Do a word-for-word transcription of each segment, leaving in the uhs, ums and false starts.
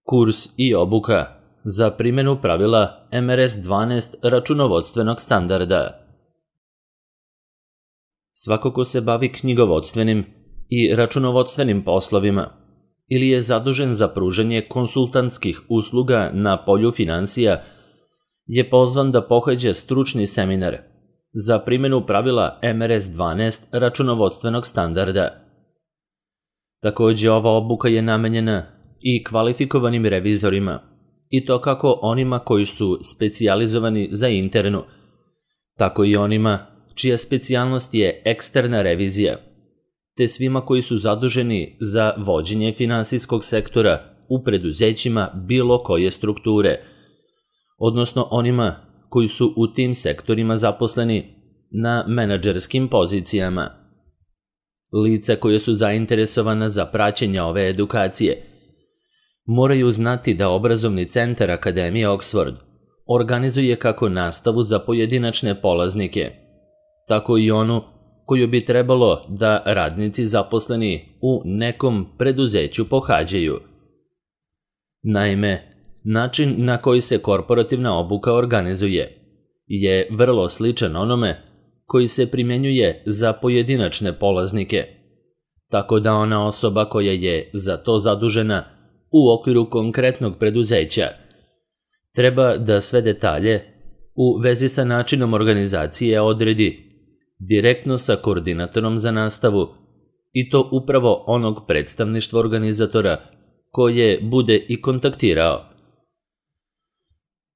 Kurs i obuka za primjenu pravila M R S dvanaest računovodstvenog standarda. Svako ko se bavi knjigovodstvenim i računovodstvenim poslovima ili je zadužen za pružanje konsultantskih usluga na polju finansija je pozvan da pohađa stručni seminar za primjenu pravila M R S dvanaest računovodstvenog standarda. Takođe, ova obuka je namenjena i kvalifikovanim revizorima, i to kako onima koji su specijalizovani za internu, tako i onima čija specijalnost je eksterna revizija, te svima koji su zaduženi za vođenje finansijskog sektora u preduzećima bilo koje strukture, odnosno onima koji su u tim sektorima zaposleni na menadžerskim pozicijama. Lica koje su zainteresovana za praćenje ove edukacije moraju znati da obrazovni centar Akademije Oxford organizuje kako nastavu za pojedinačne polaznike, tako i onu koju bi trebalo da radnici zaposleni u nekom preduzeću pohađaju. Naime, način na koji se korporativna obuka organizuje je vrlo sličan onome koji se primjenjuje za pojedinačne polaznike, tako da ona osoba koja je za to zadužena u okviru konkretnog preduzeća treba da sve detalje u vezi sa načinom organizacije odredi direktno sa koordinatorom za nastavu, i to upravo onog predstavništva organizatora koje bude i kontaktirao.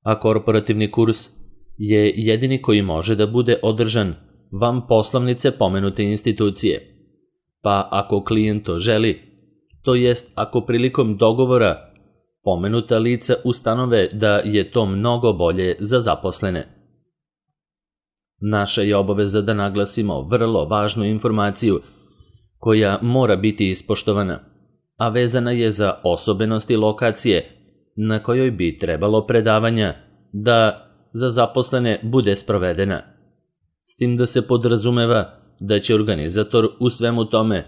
A korporativni kurs je jedini koji može da bude održan van poslovnice pomenute institucije, pa ako klijent to želi, to jest ako prilikom dogovora pomenuta lica ustanove da je to mnogo bolje za zaposlene. Naša je obaveza da naglasimo vrlo važnu informaciju koja mora biti ispoštovana, a vezana je za osobenosti lokacije na kojoj bi trebalo predavanja da za zaposlene bude sprovedena, s tim da se podrazumeva da će organizator u svemu tome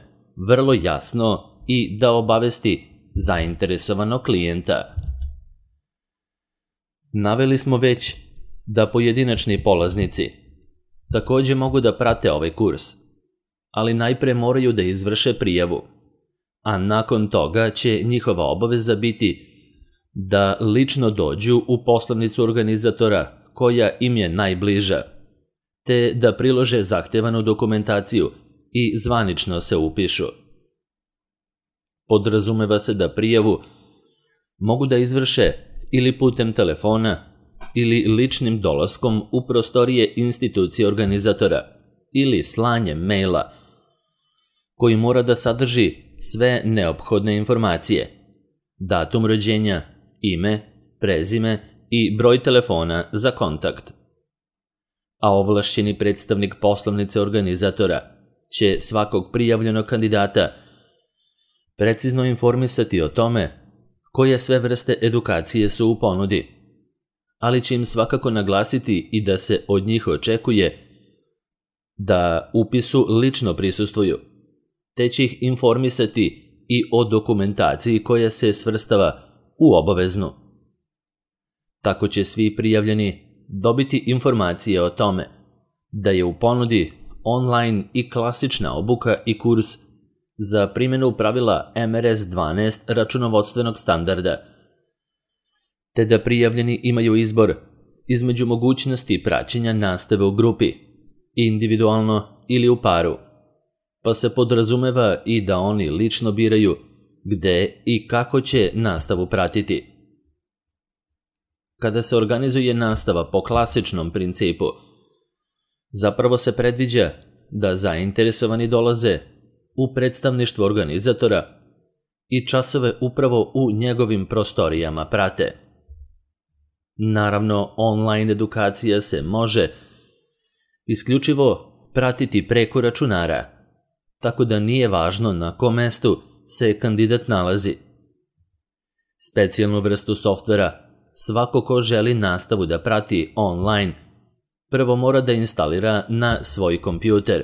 vrlo jasno i da obavesti zainteresovanog klijenta. Naveli smo već da pojedinačni polaznici takođe mogu da prate ovaj kurs, ali najpre moraju da izvrše prijavu, a nakon toga će njihova obaveza biti da lično dođu u poslovnicu organizatora koja im je najbliža, te da prilože zahtevanu dokumentaciju i zvanično se upišu. Podrazumeva se da prijavu mogu da izvrše ili putem telefona ili ličnim dolaskom u prostorije institucije organizatora ili slanjem maila koji mora da sadrži sve neophodne informacije, datum rođenja, ime, prezime i broj telefona za kontakt. A ovlašćeni predstavnik poslovnice organizatora će svakog prijavljenog kandidata precizno informisati o tome koje sve vrste edukacije su u ponudi, ali će im svakako naglasiti i da se od njih očekuje da upisu lično prisustvuju, te će ih informisati i o dokumentaciji koja se svrstava u obaveznu. Tako će svi prijavljeni dobiti informacije o tome da je u ponudi online i klasična obuka i kurs za primjenu pravila M R S dvanaest računovodstvenog standarda, te da prijavljeni imaju izbor između mogućnosti praćenja nastave u grupi, individualno ili u paru, pa se podrazumeva i da oni lično biraju gde i kako će nastavu pratiti. Kada se organizuje nastava po klasičnom principu, zapravo se predviđa da zainteresovani dolaze u predstavništvo organizatora i časove upravo u njegovim prostorijama prate. Naravno, online edukacija se može isključivo pratiti preko računara, tako da nije važno na kom mestu se kandidat nalazi. Specijalnu vrstu softvera svako ko želi nastavu da prati online prvo mora da instalira na svoj kompjuter,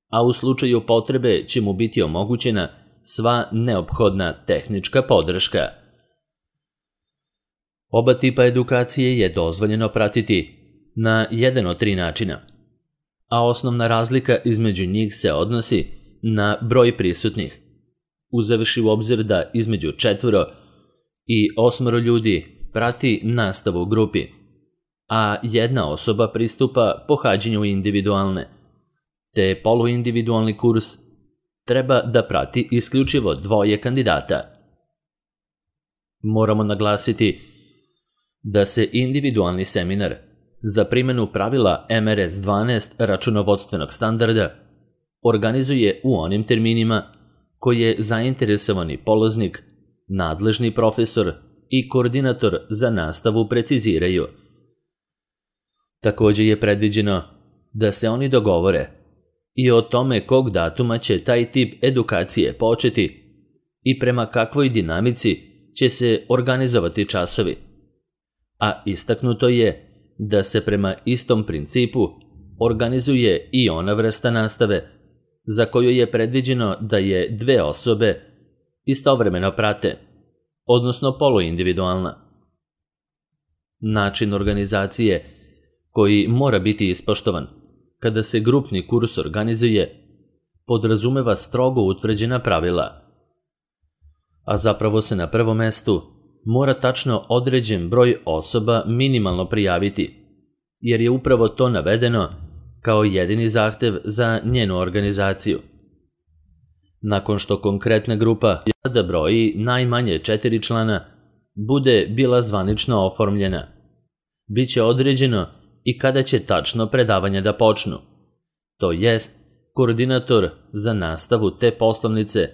a u slučaju potrebe će mu biti omogućena sva neophodna tehnička podrška. Oba tipa edukacije je dozvoljeno pratiti na jedan od tri načina, a osnovna razlika između njih se odnosi na broj prisutnih, uzevši u obzir da između četvoro i osmoro ljudi prati nastavu u grupi, a jedna osoba pristupa pohađanju individualne, te poluindividualni kurs treba da prati isključivo dvoje kandidata. Moramo naglasiti da se individualni seminar za primjenu pravila M R S dvanaest računovodstvenog standarda organizuje u onim terminima koje zainteresovani polaznik, nadležni profesor i koordinator za nastavu preciziraju. Također je predviđeno da se oni dogovore i o tome kog datuma će taj tip edukacije početi i prema kakvoj dinamici će se organizovati časovi, a istaknuto je da se prema istom principu organizuje i ona vrsta nastave za koju je predviđeno da je dve osobe istovremeno prate, odnosno poluindividualna. Način organizacije koji mora biti ispoštovan kada se grupni kurs organizuje podrazumeva strogo utvrđena pravila, a zapravo se na prvom mestu mora tačno određen broj osoba minimalno prijaviti, jer je upravo to navedeno kao jedini zahtev za njenu organizaciju. Nakon što konkretna grupa da broji najmanje četiri člana bude bila zvanično oformljena, bit će određeno i kada će tačno predavanja da počnu, to jest koordinator za nastavu te poslovnice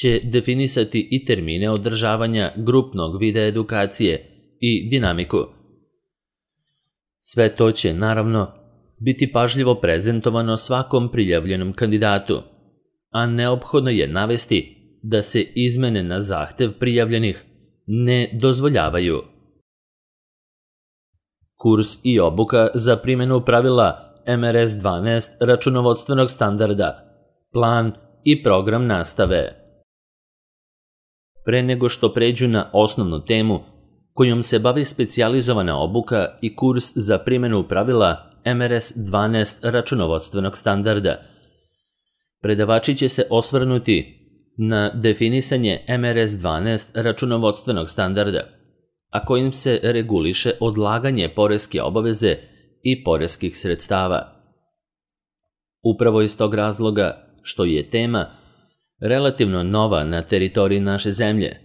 će definisati i termine održavanja grupnog vida edukacije i dinamiku. Sve to će, naravno, biti pažljivo prezentovano svakom prijavljenom kandidatu, a neophodno je navesti da se izmene na zahtev prijavljenih ne dozvoljavaju. Kurs i obuka za primjenu pravila M R S dvanaest računovodstvenog standarda, plan i program nastave. Pre nego što pređu na osnovnu temu kojom se bavi specijalizovana obuka i kurs za primjenu pravila M R S dvanaest računovodstvenog standarda, predavači će se osvrnuti na definisanje M R S dvanaest računovodstvenog standarda, a kojim se reguliše odlaganje poreske obaveze i poreskih sredstava. Upravo iz tog razloga što je tema relativno nova na teritoriji naše zemlje,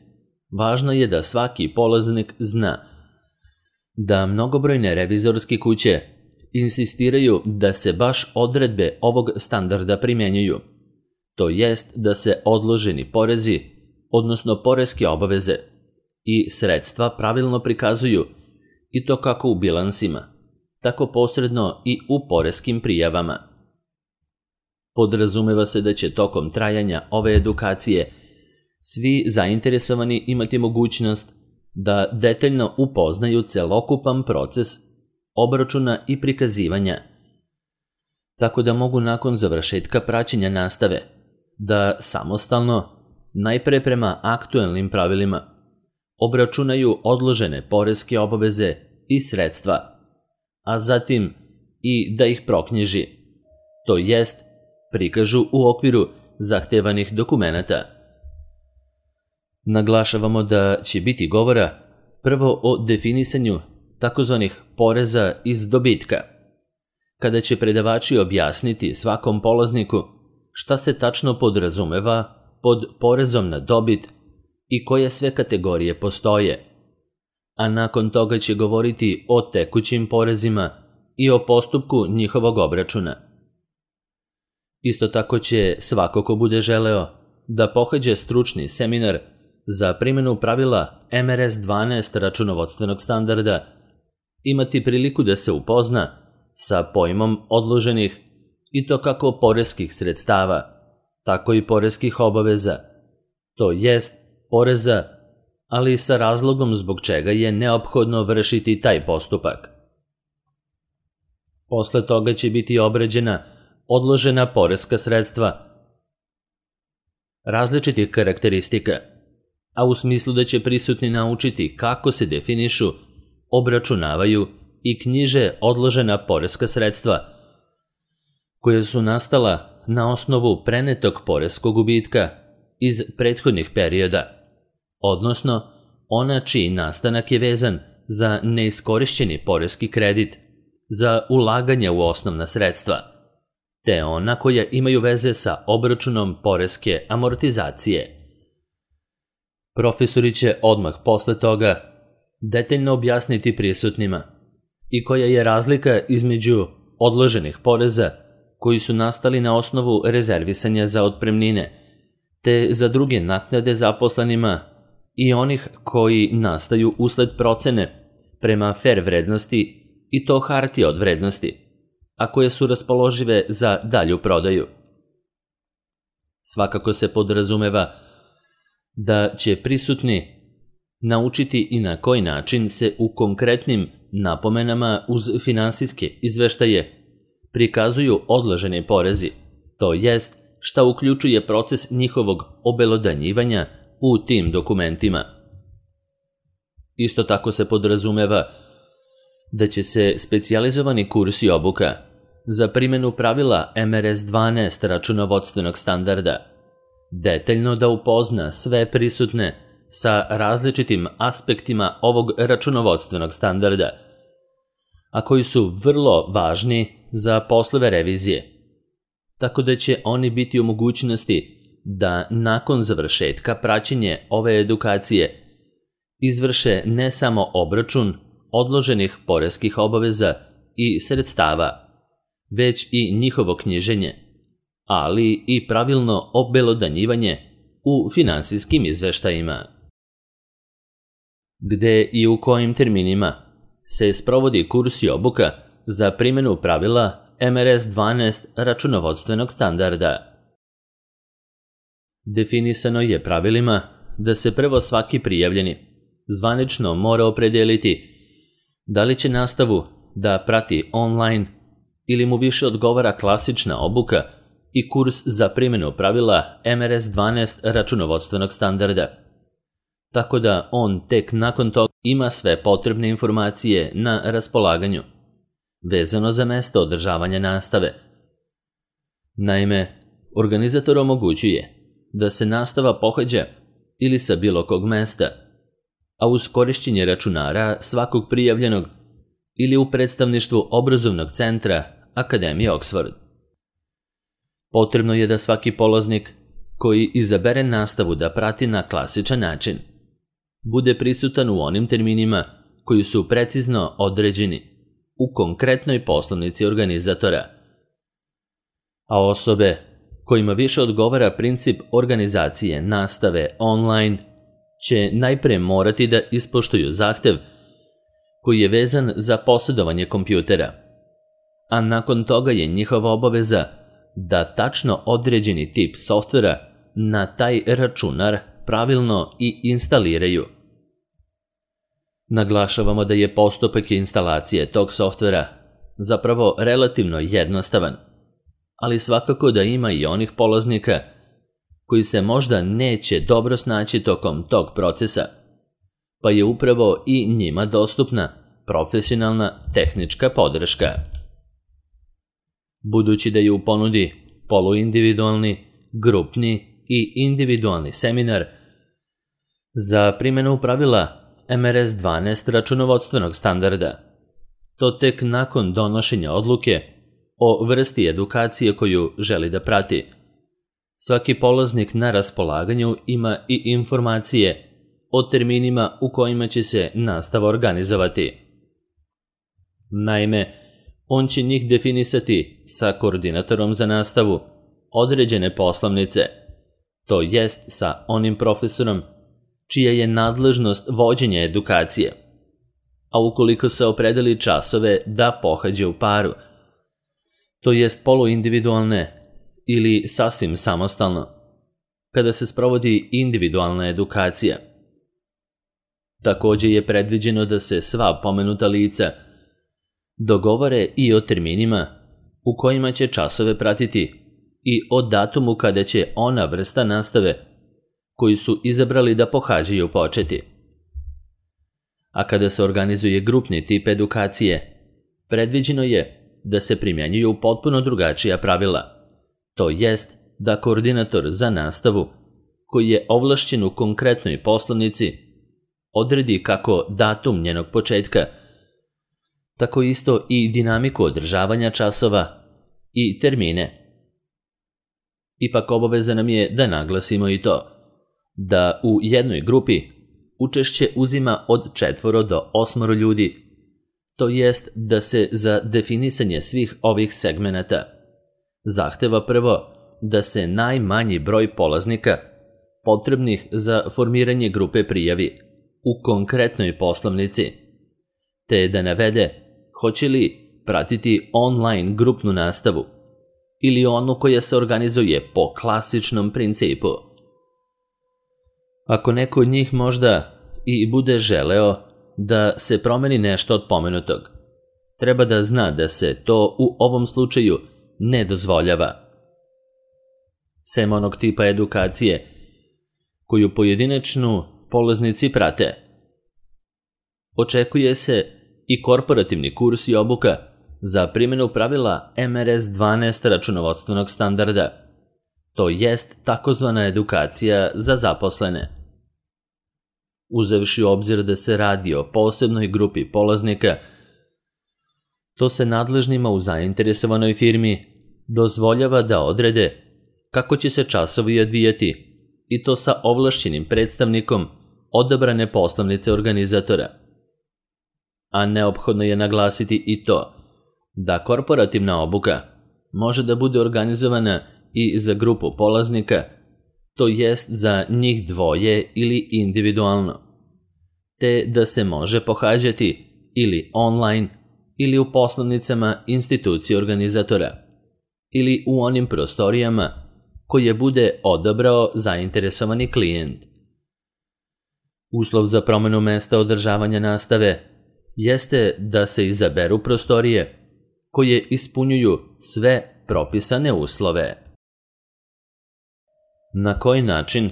važno je da svaki polaznik zna da mnogobrojne revizorske kuće insistiraju da se baš odredbe ovog standarda primjenjuju, to jest da se odloženi porezi, odnosno poreske obaveze i sredstva pravilno prikazuju i to kako u bilansima, tako posredno i u poreskim prijavama. Podrazumeva se da će tokom trajanja ove edukacije svi zainteresovani imati mogućnost da detaljno upoznaju celokupan proces obračuna i prikazivanja, tako da mogu nakon završetka praćenja nastave da samostalno, najpre prema aktuelnim pravilima, obračunaju odložene poreske obaveze i sredstva, a zatim i da ih proknjiži, to jest prikažu u okviru zahtevanih dokumenata. Naglašavamo da će biti govora prvo o definisanju takozvanih poreza iz dobitka, kada će predavači objasniti svakom polazniku šta se tačno podrazumeva pod porezom na dobit i koje sve kategorije postoje, a nakon toga će govoriti o tekućim porezima i o postupku njihovog obračuna. Isto tako će svako ko bude želeo da pohađe stručni seminar za primjenu pravila M R S dvanaest računovodstvenog standarda imati priliku da se upozna sa pojmom odloženih i to kako poreskih sredstava, tako i poreskih obaveza, to jest poreza, ali i sa razlogom zbog čega je neophodno vršiti taj postupak. Posle toga će biti obrađena odložena poreska sredstva različitih karakteristika, a u smislu da će prisutni naučiti kako se definišu, obračunavaju i knjiže odložena poreska sredstva, koja su nastala na osnovu prenetog poreskog gubitka iz prethodnih perioda, odnosno ona čiji nastanak je vezan za neiskorišćeni poreski kredit, za ulaganje u osnovna sredstva, te ona koja imaju veze sa obračunom poreske amortizacije. Profesori će odmah posle toga detaljno objasniti prisutnima i koja je razlika između odloženih poreza koji su nastali na osnovu rezervisanja za otpremnine, te za druge naknade zaposlenima i onih koji nastaju usled procene prema fer vrednosti i to hartije od vrednosti, a koje su raspoložive za dalju prodaju. Svakako se podrazumeva da će prisutni naučiti i na koji način se u konkretnim napomenama uz finansijske izveštaje prikazuju odloženi porezi, to jest šta uključuje proces njihovog obelodanjivanja u tim dokumentima. Isto tako se podrazumeva da će se specijalizovani kurs i obuka za primjenu pravila M R S dvanaest računovodstvenog standarda detaljno da upozna sve prisutne sa različitim aspektima ovog računovodstvenog standarda, a koji su vrlo važni za poslove revizije, tako da će oni biti u mogućnosti da nakon završetka praćenje ove edukacije izvrše ne samo obračun odloženih poreskih obaveza i sredstava, već i njihovo knjiženje, ali i pravilno obelodanjivanje u finansijskim izveštajima. Gde i u kojim terminima se sprovodi kurs i obuka za primjenu pravila M R S dvanaest računovodstvenog standarda. Definisano je pravilima da se prvo svaki prijavljeni zvanično mora opredeliti da li će nastavu da prati online ili mu više odgovara klasična obuka i kurs za primjenu pravila M R S dvanaest računovodstvenog standarda, tako da on tek nakon toga ima sve potrebne informacije na raspolaganju, vezano za mesto održavanja nastave. Naime, organizator omogućuje da se nastava pohađa ili sa bilo kog mesta, a uz korišćenje računara svakog prijavljenog ili u predstavništvu obrazovnog centra Akademije Oxford. Potrebno je da svaki polaznik koji izabere nastavu da prati na klasičan način bude prisutan u onim terminima koji su precizno određeni u konkretnoj poslovnici organizatora, a osobe kojima više odgovara princip organizacije nastave online će najpre morati da ispoštuju zahtev koji je vezan za posjedovanje kompjutera, a nakon toga je njihova obaveza da tačno određeni tip softvera na taj računar pravilno i instaliraju. Naglašavamo da je postupak instalacije tog softvera zapravo relativno jednostavan, ali svakako da ima i onih polaznika koji se možda neće dobro snaći tokom tog procesa, pa je upravo i njima dostupna profesionalna tehnička podrška. Budući da je u ponudi poluindividualni, grupni i individualni seminar za primjenu pravila M R S dvanaest računovodstvenog standarda, to tek nakon donošenja odluke o vrsti edukacije koju želi da prati. Svaki polaznik na raspolaganju ima i informacije o terminima u kojima će se nastava organizovati. Naime, on će njih definisati sa koordinatorom za nastavu određene poslovnice, to jest sa onim profesorom čija je nadležnost vođenja edukacije, a ukoliko se opredeli časove da pohađe u paru, to jest poluindividualne ili sasvim samostalno, kada se sprovodi individualna edukacija. Također je predviđeno da se sva pomenuta lica dogovore i o terminima u kojima će časove pratiti i o datumu kada će ona vrsta nastave koji su izabrali da pohađaju početi. A kada se organizuje grupni tip edukacije, predviđeno je da se primjenjuju potpuno drugačija pravila, to jest da koordinator za nastavu, koji je ovlašćen u konkretnoj poslovnici, odredi kako datum njenog početka, tako isto i dinamiku održavanja časova i termine. Ipak obaveza nam je da naglasimo i to, da u jednoj grupi učešće uzima od četvoro do osmoro ljudi, to jest da se za definisanje svih ovih segmenata zahteva prvo da se najmanji broj polaznika potrebnih za formiranje grupe prijavi u konkretnoj poslovnici, te da navede hoće li pratiti online grupnu nastavu ili onu koja se organizuje po klasičnom principu. Ako neko od njih možda i bude želeo da se promeni nešto od pomenutog, treba da zna da se to u ovom slučaju ne dozvoljava. Sem onog tipa edukacije koju pojedinačnu polaznici prate, očekuje se i korporativni kurs i obuka za primjenu pravila em er es dvanaest računovodstvenog standarda, to jest takozvana edukacija za zaposlene. Uzevši u obzir da se radi o posebnoj grupi polaznika, to se nadležnima u zainteresovanoj firmi dozvoljava da odrede kako će se časovi odvijati, i to sa ovlašćenim predstavnikom odabrane poslovnice organizatora. A neophodno je naglasiti i to da korporativna obuka može da bude organizovana i za grupu polaznika, to jest za njih dvoje ili individualno, te da se može pohađati ili online ili u poslovnicama institucije organizatora ili u onim prostorijama koje bude odabrao zainteresovani klijent. Uslov za promenu mesta održavanja nastave jeste da se izaberu prostorije koje ispunjuju sve propisane uslove. Na koji način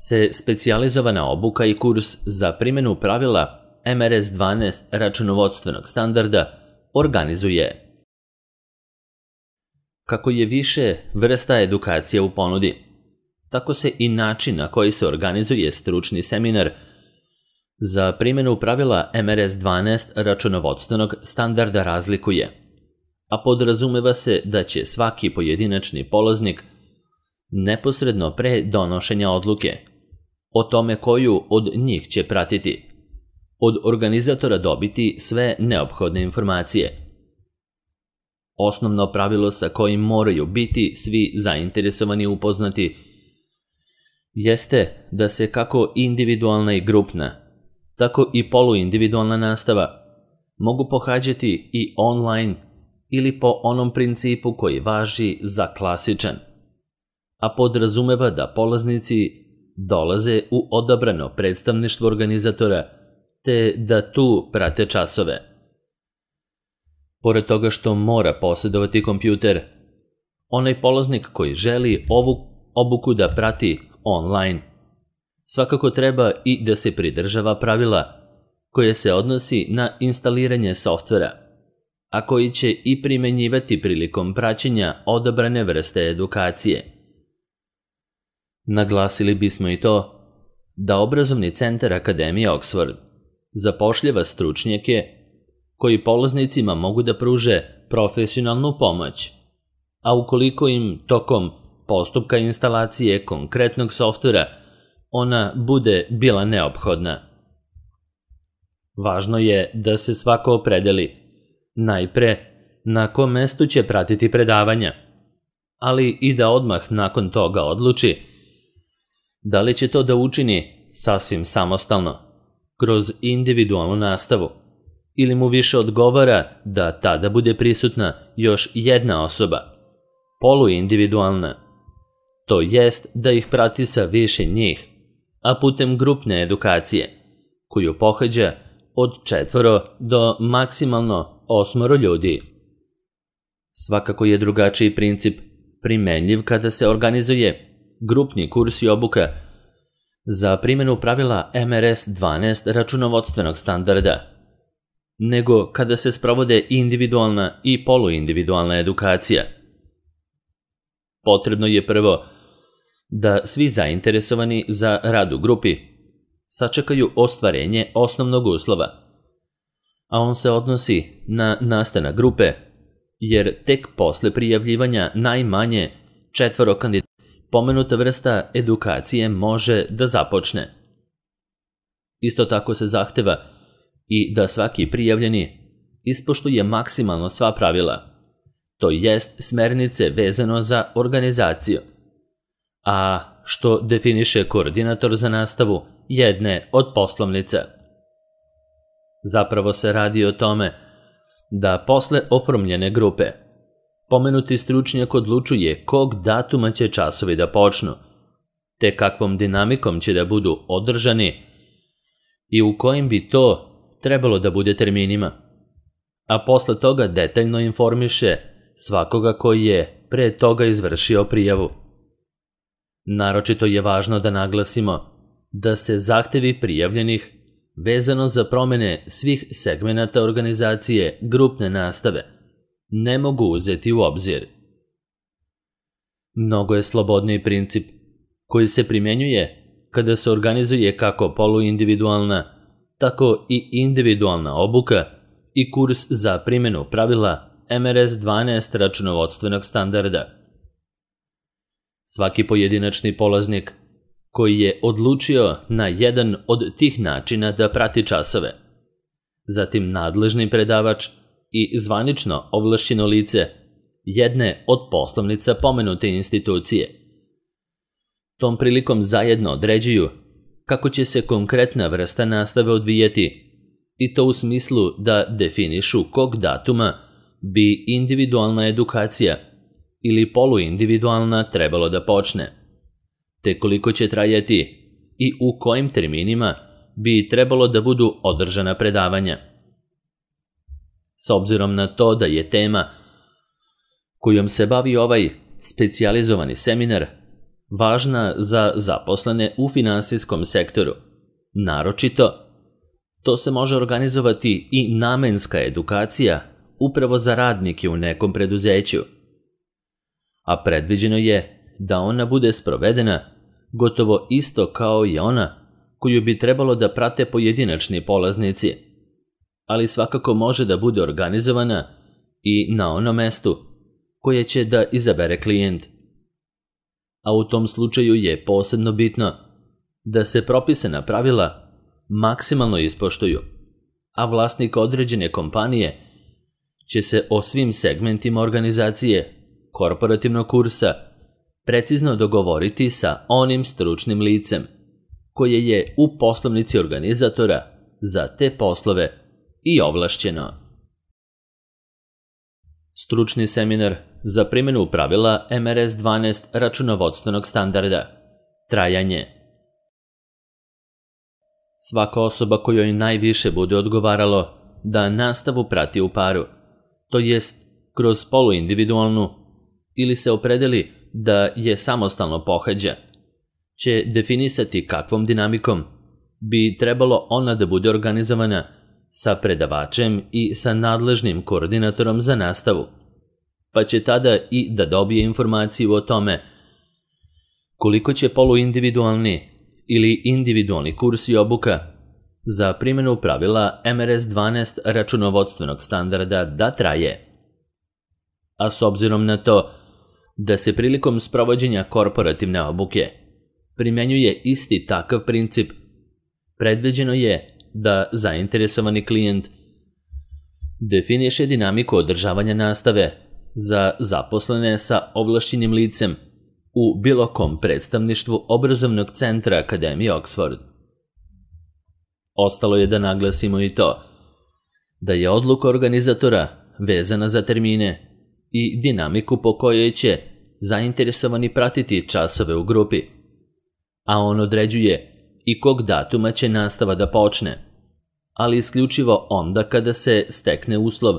se specijalizovana obuka i kurs za primjenu pravila em er es dvanaest računovodstvenog standarda organizuje? Kako je više vrsta edukacija u ponudi, tako se i način na koji se organizuje stručni seminar za primjenu pravila em er es dvanaest računovodstvenog standarda razlikuje, a podrazumeva se da će svaki pojedinačni polaznik neposredno pre donošenja odluke o tome koju od njih će pratiti, od organizatora dobiti sve neophodne informacije. Osnovno pravilo sa kojim moraju biti svi zainteresovani upoznati jeste da se kako individualna i grupna, tako i poluindividualna nastava mogu pohađati i online ili po onom principu koji važi za klasičan, a podrazumeva da polaznici dolaze u odabrano predstavništvo organizatora te da tu prate časove. Pored toga što mora posjedovati kompjuter, onaj polaznik koji želi ovu obuku da prati online, svakako treba i da se pridržava pravila koje se odnosi na instaliranje softvera, a koji će i primenjivati prilikom praćenja odabrane vrste edukacije. Naglasili bismo i to da obrazovni centar Akademije Oxford zapošljava stručnjake koji polaznicima mogu da pruže profesionalnu pomoć, a ukoliko im tokom postupka instalacije konkretnog softvera ona bude bila neophodna. Važno je da se svako opredeli najpre na kom mestu će pratiti predavanja, ali i da odmah nakon toga odluči da li će to da učini sasvim samostalno, kroz individualnu nastavu, ili mu više odgovara da tada bude prisutna još jedna osoba, poluindividualna, to jest da ih prati sa više njih, a putem grupne edukacije, koju pohađa od četvoro do maksimalno osmoro ljudi. Svakako je drugačiji princip primenljiv kada se organizuje grupni kurs i obuka za primjenu pravila M R S dvanaest računovodstvenog standarda, nego kada se sprovode individualna i poluindividualna edukacija. Potrebno je prvo da svi zainteresovani za rad u grupi sačekaju ostvarenje osnovnog uslova, a on se odnosi na nastanak grupe, jer tek posle prijavljivanja najmanje četvoro kandidata pomenuta vrsta edukacije može da započne. Isto tako se zahteva i da svaki prijavljeni ispoštuje maksimalno sva pravila, to jest smernice vezano za organizaciju, a što definiše koordinator za nastavu jedne od poslovnica. Zapravo se radi o tome da posle oformljene grupe pomenuti stručnjak odlučuje kog datuma će časovi da počnu, te kakvom dinamikom će da budu održani i u kojim bi to trebalo da bude terminima, a posle toga detaljno informiše svakoga koji je pre toga izvršio prijavu. Naročito je važno da naglasimo da se zahtevi prijavljenih vezano za promene svih segmenata organizacije grupne nastave ne mogu uzeti u obzir. Mnogo je slobodniji princip koji se primjenjuje kada se organizuje kako poluindividualna, tako i individualna obuka i kurs za primjenu pravila M R S dvanaest računovodstvenog standarda. Svaki pojedinačni polaznik koji je odlučio na jedan od tih načina da prati časove, zatim nadležni predavač i zvanično ovlašćeno lice jedne od poslovnica pomenute institucije. Tom prilikom zajedno određuju kako će se konkretna vrsta nastave odvijeti, i to u smislu da definišu kog datuma bi individualna edukacija ili poluindividualna trebalo da počne, te koliko će trajati i u kojim terminima bi trebalo da budu održana predavanja. S obzirom na to da je tema kojom se bavi ovaj specijalizovani seminar važna za zaposlene u finansijskom sektoru, naročito, to se može organizovati i namenska edukacija upravo za radnike u nekom preduzeću, a predviđeno je da ona bude sprovedena gotovo isto kao i ona koju bi trebalo da prate pojedinačni polaznici, ali svakako može da bude organizovana i na onom mestu koje će da izabere klijent. A u tom slučaju je posebno bitno da se propisana pravila maksimalno ispoštuju, a vlasnik određene kompanije će se o svim segmentima organizacije korporativnog kursa precizno dogovoriti sa onim stručnim licem koje je u poslovnici organizatora za te poslove i ovlašćeno. Stručni seminar za primjenu pravila M R S dvanaest računovodstvenog standarda. Trajanje. Svaka osoba kojoj najviše bude odgovaralo da nastavu prati u paru, to jest kroz poluindividualnu, ili se opredeli da je samostalno pohađa, će definisati kakvom dinamikom bi trebalo ona da bude organizovana sa predavačem i sa nadležnim koordinatorom za nastavu, pa će tada i da dobije informaciju o tome koliko će poluindividualni ili individualni kurs i obuka za primjenu pravila M R S dvanaest računovodstvenog standarda da traje. A s obzirom na to da se prilikom sprovođenja korporativne obuke primjenjuje isti takav princip, predviđeno je da zainteresovani klijent definiše dinamiku održavanja nastave za zaposlene sa ovlašćenim licem u bilo kom predstavništvu obrazovnog centra Akademije Oxford. Ostalo je da naglasimo i to da je odluka organizatora vezana za termine i dinamiku po kojoj će zainteresovani pratiti časove u grupi, a on određuje i kog datuma će nastava da počne, ali isključivo onda kada se stekne uslov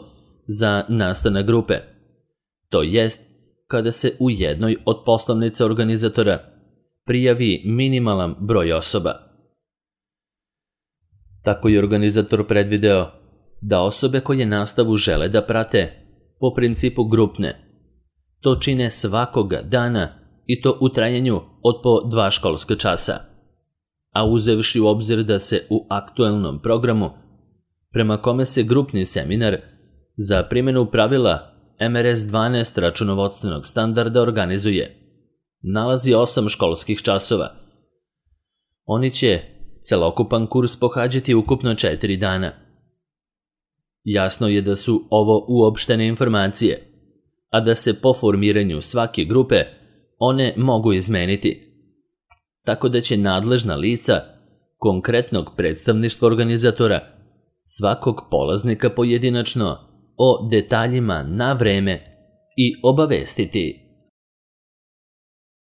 za nastanak grupe, to jest kada se u jednoj od poslovnica organizatora prijavi minimalan broj osoba. Tako je organizator predvideo da osobe koje nastavu žele da prate po principu grupne to čine svakoga dana i to u trajanju od po dva školska časa, a uzevši u obzir da se u aktuelnom programu, prema kome se grupni seminar za primjenu pravila M R S dvanaest računovodstvenog standarda organizuje, nalazi osam školskih časova. Oni će celokupan kurs pohađati ukupno četiri dana. Jasno je da su ovo uopštene informacije, a da se po formiranju svake grupe one mogu izmeniti, tako da će nadležna lica konkretnog predstavništva organizatora svakog polaznika pojedinačno o detaljima na vreme i obavestiti.